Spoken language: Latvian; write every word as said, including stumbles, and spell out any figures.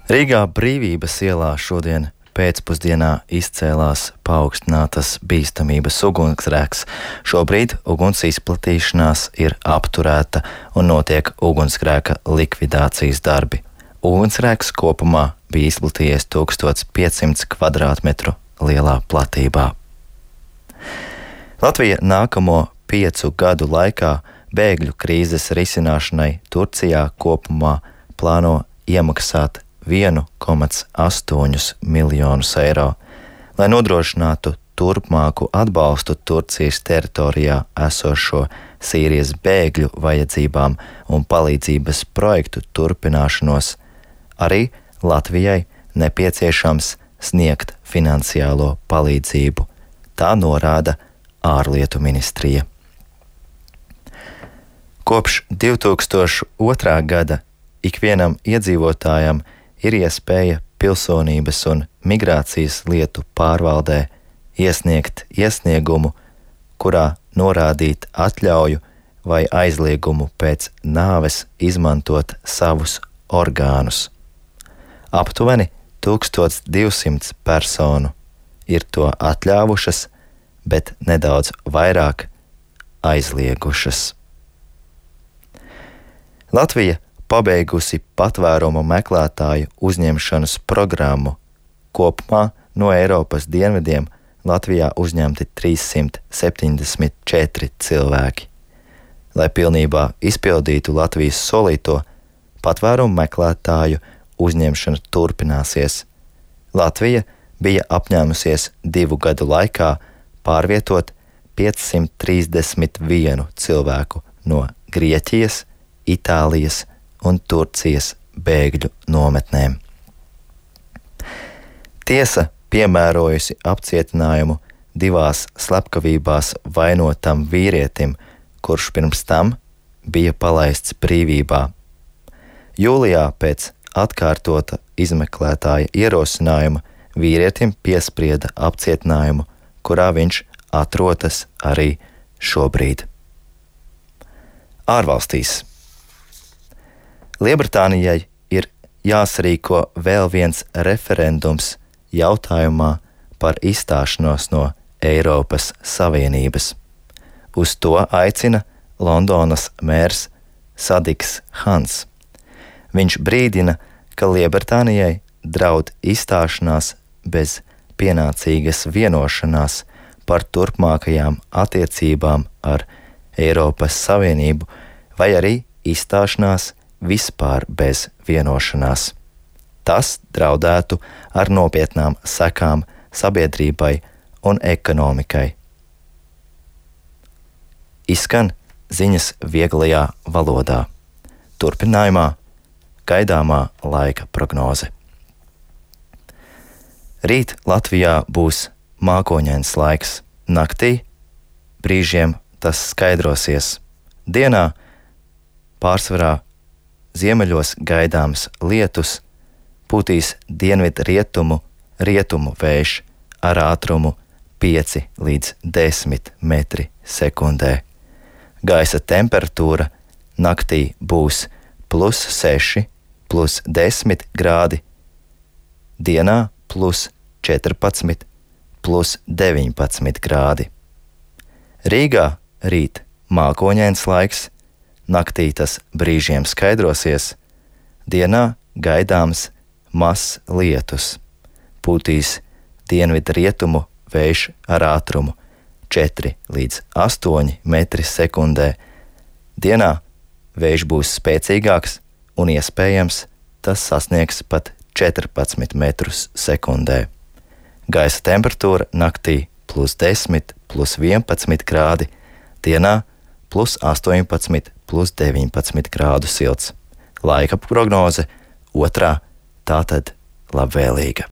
Rīgā Brīvības ielā šodien pēcpusdienā izcēlās paaugstinātas bīstamības ugunsgrēks. Šobrīd uguns izplatīšanās ir apturēta un notiek ugunsgrēka likvidācijas darbi. Ugunsgrēks kopumā bija izplatījies tūkstoš piecsimt kvadrātmetru lielā platībā. Latvija nākamo piecu gadu laikā bēgļu krīzes risināšanai Turcijā kopumā plāno iemaksāt vienu komats astoņus miljonus eiro, lai nodrošinātu turpmāku atbalstu Turcijas teritorijā esošo Sīrijas bēgļu vajadzībām un palīdzības projektu turpināšanos. Arī Latvijai nepieciešams sniegt finansiālo palīdzību. Tā norāda ārlietu ministrija. Kopš divi tūkstoši otrā gada ikvienam iedzīvotājam ir iespēja pilsonības un migrācijas lietu pārvaldē iesniegt iesniegumu, kurā norādīt atļauju vai aizliegumu pēc nāves izmantot savus orgānus. Aptuveni tūkstoš divsimt personu ir to atļāvušas, bet nedaudz vairāk aizliegušas. Latvija pabeigusi patvērumu meklētāju uzņemšanas programmu. Kopumā no Eiropas dienvidiem Latvijā uzņemti trīssimt septiņdesmit četri cilvēki. Lai pilnībā izpildītu Latvijas solīto, patvērumu meklētāju uzņemšana turpināsies. Latvija bija apņēmusies divu gadu laikā pārvietot piecsimt trīsdesmit vienu cilvēku no Grieķijas, Itālijas un Turcijas bēgļu nometnēm. Tiesa piemērojusi apcietinājumu divās slepkavībās vainotam vīrietim, kurš pirms tam bija palaists brīvībā. Jūlijā pēc atkārtota izmeklētāja ierosinājuma vīrietim piesprieda apcietinājumu, kurā viņš atrodas arī šobrīd. Ārvalstīs. Lielbritānijai ir jāsarīko vēl viens referendums jautājumā par izstāšanos no Eiropas Savienības. Uz to aicina Londonas mērs Sadiks Hans. Viņš brīdina, ka Lielbritānijai draud izstāšanās bez pienācīgas vienošanās par turpmākajām attiecībām ar Eiropas Savienību vai arī izstāšanās vispār bez vienošanās. Tas draudētu ar nopietnām sekām sabiedrībai un ekonomikai. Izskan ziņas vieglajā valodā. Turpinājumā gaidāmā laika prognoze. Rīt Latvijā būs mākoņains laiks. Naktī brīžiem tas skaidrosies. Dienā pārsvarā ziemeļos gaidāms lietus, pūtīs dienvidrietumu rietumu vējš ar ātrumu pieci līdz desmit metri sekundē. Gaisa temperatūra naktī būs plus seši, plus desmit grādi, dienā plus četrpadsmit, plus deviņpadsmit grādi. Rīgā rīt mākoņains laiks, naktī tas brīžiem skaidrosies, dienā gaidāms mazs lietus, pūtīs dienvidrietumu vējš ar ātrumu četri līdz astoņi metri sekundē, dienā vējš būs spēcīgāks un iespējams tas sasniegs pat četrpadsmit metrus sekundē. Gaisa temperatūra naktī plus desmit, plus vienpadsmit grādi, dienā plus astoņpadsmit, plus deviņpadsmit grādu silts. Laika prognoze otrā, tātad labvēlīga.